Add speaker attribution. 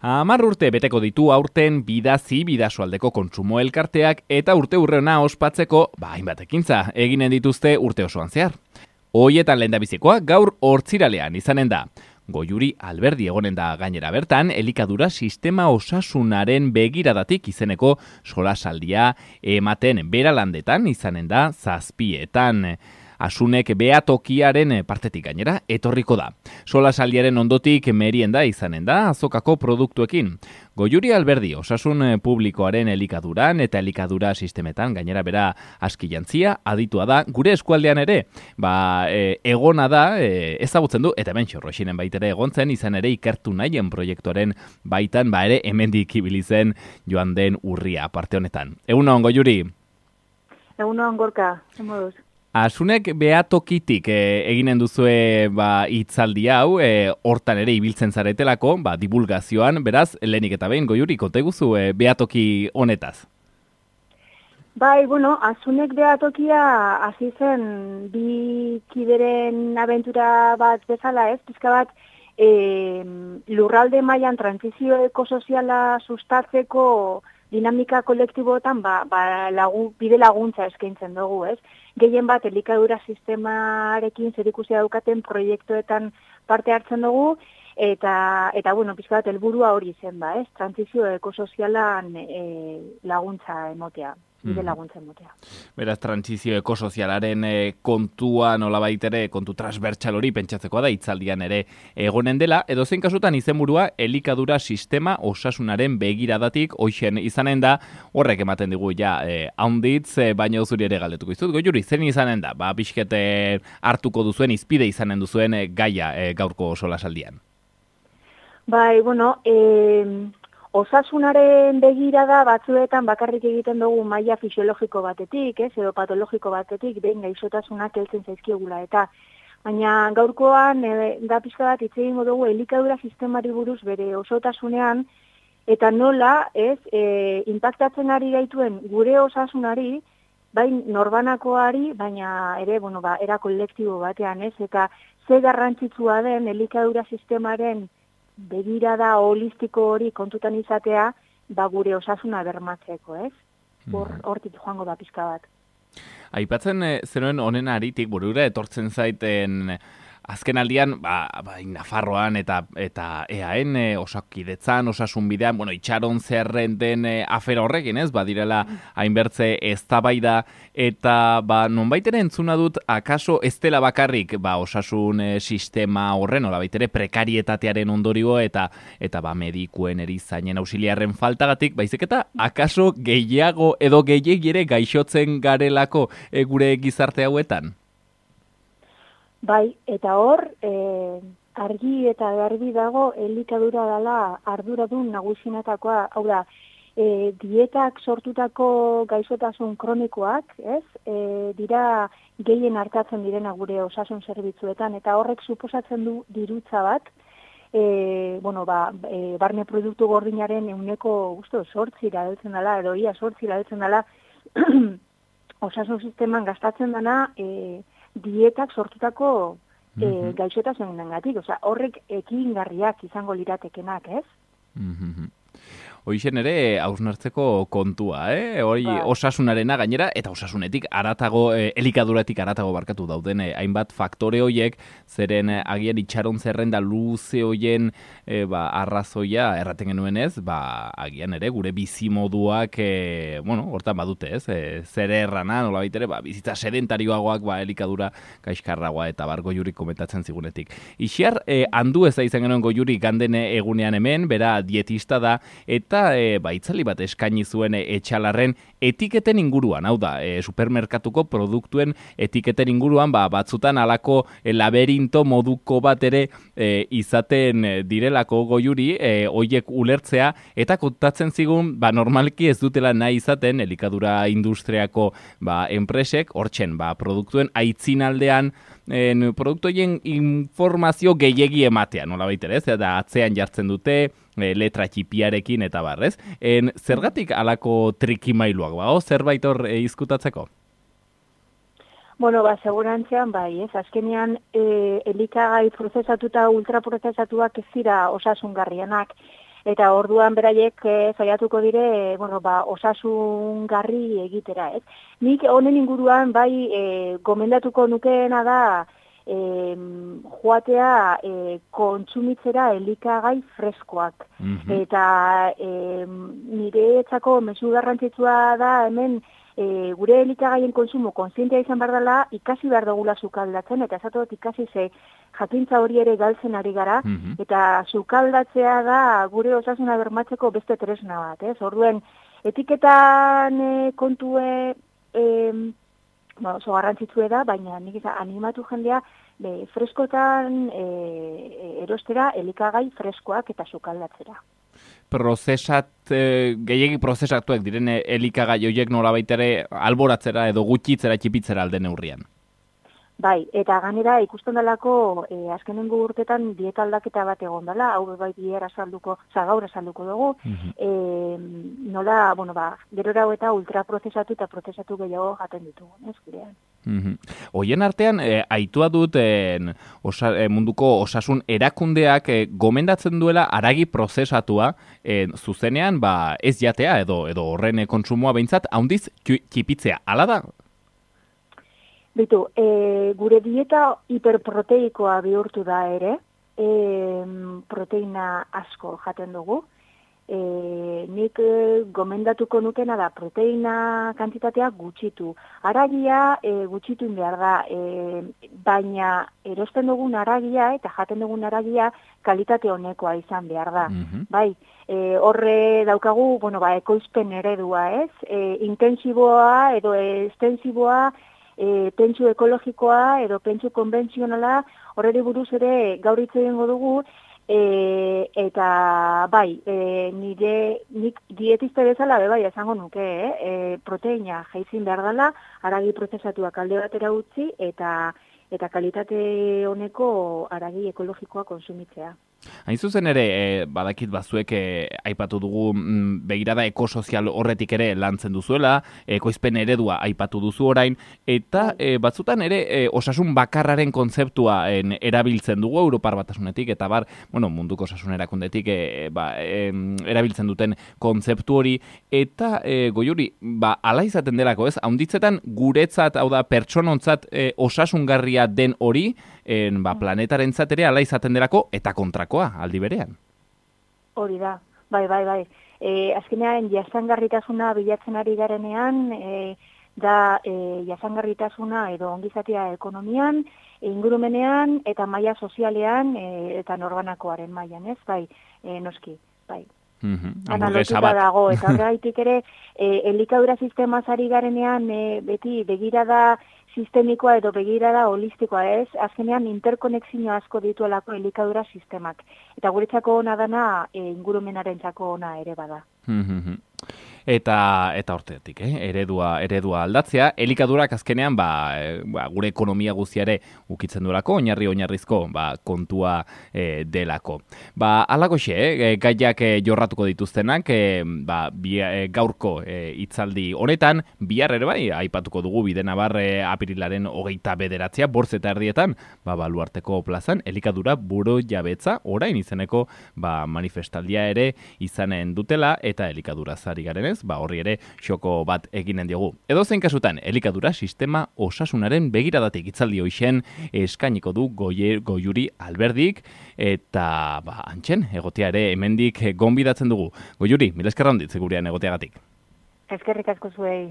Speaker 1: 10 urte beteko ditu aurten Bidazi Bidasoaldeko kontsumo elkarteak eta urte hurrena ospatzeko hainbat ekintza eginen dituzte urte osoan zehar. Hoietan lehendabizikoa gaur hortziralean izanen da. Goiuri Alberdi egonen da gainera bertan, elikadura sistema osasunaren begiradatik izeneko solasaldia ematen beralandetan izanen da 7:00. Asunek behatokiaren partetik gainera etorriko da. Solasaldiaren ondotik merienda izanen da azokako produktuekin. Goiuri Alberdi osasun publikoaren elikaduran eta elikadura sistemetan gainera bera aski jantzia aditua da gure eskualdean ere. Egona da, ezagutzen du, eta hemen xorroxinen baitere egontzen izan ere ikertu nahien proiektuaren baitan ere hemendik ibili zen joan den urria parte honetan. Egunon, Goiuri?
Speaker 2: Egunon, Gorka, zemoduz?
Speaker 1: Asunek behatokitik eginen duzue hitzaldi hau, hortan ere ibiltzen zaretelako, divulgazioan, beraz, lehenik eta behin, Goiuri, konta eguzu behatoki honetaz?
Speaker 2: Asunek behatokia hasi zen bi kideren abentura bat bezala ez, pizka bat lurralde mailan trantsizio ekosoziala sustatzeko dinamika kolektiboetan bide laguntza eskaintzen dugu, ez? Gehien bat elikadura sistemarekin zerikusia daukaten proiektuetan parte hartzen dugu, eta pizka bat helburua hori zen ez? Trantsizio ekosozialan laguntza emotea. Bide laguntza emotea.
Speaker 1: Beraz, trantsizio ekosozialaren kontua nolabait ere, kontu transbertsal hori pentsatzekoa da, hitzaldian ere egonen dela, edo zein kasutan izenburua elikadura sistema osasunaren begiradatik hoixen izanen da, horrek ematen digu haunditz, baina zuri ere galdetuko izut. Goiuri, zen izanen da, pixkete hartuko duzuen, izpide izanen duzuen gaia gaurko solasaldian?
Speaker 2: Osasunaren begirada batzuetan bakarrik egiten dugu maila fisiologiko batetik, edo patologiko batetik, behin gaixotasunak heltzen zaizkiegula eta. Baina gaurkoan, da pixka bat hitz egingo dugu elikadura sistemari buruz bere osotasunean, eta nola, inpaktatzen ari gaituen gure osasunari, bain norbanakoari, baina ere, era kolektibo batean, eta ze garrantzitsua den elikadura sistemaren begirada holistiko hori kontutan izatea, gure osasuna bermatzeko, ez? Hortik joango da pizka bat.
Speaker 1: Aipatzen zenuen honen aritik, burura etortzen zaiten azken aldian, Nafarroan eta EAN, osakidetzan, osasun bidean, itxaron zerren den afera horrekin, ez? Badirela hainbertze eztabaida eta nonbait ere entzuna dut, akaso ez dela bakarrik osasun sistema horren, nolabait ere prekarietatearen ondorio eta medikuen erizainen auxiliarren faltagatik, baizik eta akaso gehiago edo gehiegi ere gaixotzen garelako gure gizarte hauetan?
Speaker 2: Eta hor, argi eta garbi dago elikadura dela arduradun nagusienetakoa, hau da, dietak sortutako gaixotasun kronikoak, ez? Dira gehien hartatzen direna gure osasun zerbitzuetan, eta horrek suposatzen du dirutza bat, barne produktu gordinaren 8% heltzen dela, edo ia 8% heltzen dela, osasun sisteman gastatzen dena, dietak sortutako gaixotasunengatik, horrek ekingarriak izango liratekenak, ez?
Speaker 1: Hoixen ere hausnartzeko kontua, hori osasunarena gainera, eta osasunetik aratago, elikaduratik aratago barkatu dauden, hainbat faktore horiek, zeren agian itxaron zerrenda luze hoien arrazoia erraten genuen ez, agian ere gure bizimoduak, hortan badute ez, zer errana, nola baitere, bizitza sedentarioagoak, elikadura gaizkarragoa eta Goiuri komentatzen zigunetik. Ixiar, handu ez da izan genuen Goiuri ganden egunean hemen, bera dietista da, eta itzali bat eskaini zuen etxalarren etiketen inguruan, hau da, supermerkatuko produktuen etiketen inguruan, batzutan alako laberinto moduko bat ere izaten direlako Goiuri, hoiek ulertzea, eta kontatzen zigun, normalki ez dutela nahi izaten elikadura industriako enpresek, hortzen, produktuen aitzinaldean, produktoien informazio gehiegi ematea, nola baitere, eta atzean jartzen dute, letra txipiarekin eta barrez. Zergatik alako trikimailuak zerbait hor izkutatzeko?
Speaker 2: Segurantzean ez. Azkenean, elikagai prozesatuta ultraprozesatuak ez dira osasungarrienak. eta orduan beraiek saiatuko dire, osasungarri egitera, ez? Nik honen inguruan bai gomendatuko nukeena da joatea kontsumitzera elikagai freskoak. Eta niretzako mezu garrantzitsua da hemen gure elikagaien konsumo kontzientea izan behar dela, ikasi behar dugula sukaldatzen, eta esatot ikasi ze jakintza hori ere galtzen ari gara, eta sukaldatzea da gure osasuna bermatzeko beste tresna bat, ez? Orduen, etiketan kontue oso garrantzitsue da, baina nik animatu jendea freskotan erostera elikagai freskoak eta sukaldatzera.
Speaker 1: Gehiegi prozesatuak diren elikagai horiek nolabait ere alboratzera edo gutxitzera txipitzera alde neurrian.
Speaker 2: Bai, eta ganera ikusten dalako azkenengo urtetan dieta aldaketa bat egon dela, hau bai gaur azalduko dugu, nola, gerora eta ultraprozesatu eta prozesatu gehiago jaten ditugu, ez gurean.
Speaker 1: Hoien artean, aitua dut munduko osasun erakundeak gomendatzen duela haragi prozesatua zuzenean ez jatea edo horren kontsumoa behintzat handiz txipitzea. Hala da?
Speaker 2: Bitu, gure dieta hiperproteikoa bihurtu da ere, proteina asko jaten dugu. Nik gomendatuko nukena da proteina kantitatea gutxitu. Haragia gutxitu behar da, baina erosten dugun haragia eta jaten dugun haragia kalitate honekoa izan behar da. Bai, horre daukagu, ekoizpen eredua, ez? Intensiboa edo estensiboa, pentsu ekologikoa edo pentsu konbentzionala, horreri buruz ere gaur hitz egingo dugu, eta bai, nik dietista bezala bai esango nuke, proteina jaizin behar dela, haragi prozesatuak alde batera utzi eta kalitate honeko haragi ekologikoa konsumitzea.
Speaker 1: Hain zuzen ere, badakit bazuek aipatu dugu begirada ekosozial horretik ere lantzen duzuela, ekoizpen eredua aipatu duzu orain, eta batzutan ere osasun bakarraren kontzeptua erabiltzen dugu Europar Batasunetik, eta munduko osasun erakundetik erabiltzen duten kontzeptu hori, eta Goiuri, ala izaten delako ez, haunditzetan guretzat, hau da, pertsonontzat osasungarria den hori, planetarentzat ere ala izaten delako eta kontrakoa aldi berean.
Speaker 2: Hori da, bai. Azkenean jasangarritasuna bilatzen ari garenean, da jasangarritasuna edo ongizatea ekonomian, ingurumenean eta maila sozialean eta norbanakoaren mailan, ez? Bai, noski, bai. Analotuta dago, eta horreitik ere elikadura sistemaz ari garenean beti begirada sistemikoa edo begirada holistikoa, ez? Azkenean interkonexio asko dituelako elikadura sistemak. Eta guretzako ona dana ingurumenarentzako ona ere bada.
Speaker 1: Eta hortetik, eredua aldatzea, elikadurak azkenean gure ekonomia guztiare ukitzen duelako, oinarrizko kontua delako. Alakoxe, gaiak jorratuko dituztenak, gaurko hitzaldi honetan, bihar ere bai, aipatuko dugu Bidenabar apirilaren 29 8:30, Baluarteko plazan, elikadura buru jabetza, orain izeneko manifestaldia ere izanen dutela, eta elikadura zari garenez, horri ere xoko bat eginen diogu. Edozein kasutan, elikadura sistema osasunaren begiradatik hitzaldi hoixen eskainiko du Goiuri Alberdik, eta antxen, egotea ere hemendik gonbidatzen dugu. Goiuri, mila esker handiz gurean egoteagatik.
Speaker 2: Eskerrik asko zuei.